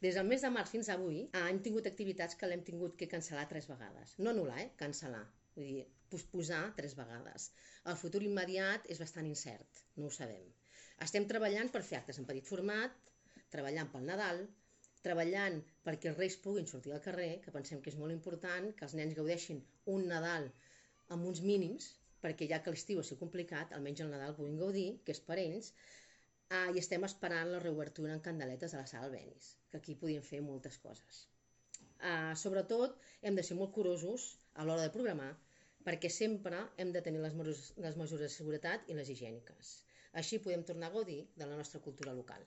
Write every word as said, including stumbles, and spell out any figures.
Des del mes de març fins avui hem tingut activitats que l'hem tingut que cancel·lar tres vegades. No anul·lar, eh? Cancel·lar. Vull dir, posposar tres vegades. El futur immediat és bastant incert, no ho sabem. Estem treballant per fer actes en petit format, treballant pel Nadal, treballant perquè els reis puguin sortir al carrer, que pensem que és molt important, que els nens gaudeixin un Nadal amb uns mínims, perquè ja que l'estiu ha sigut complicat, almenys el Nadal puguin gaudir, que és per ells, ah, i estem esperant la reobertura en candeletes a la sala Albéniz, que aquí podien fer moltes coses. Uh, sobretot hem de ser molt curosos a l'hora de programar perquè sempre hem de tenir les, les mesures de seguretat i les higièniques. Així podem tornar a gaudir de la nostra cultura local.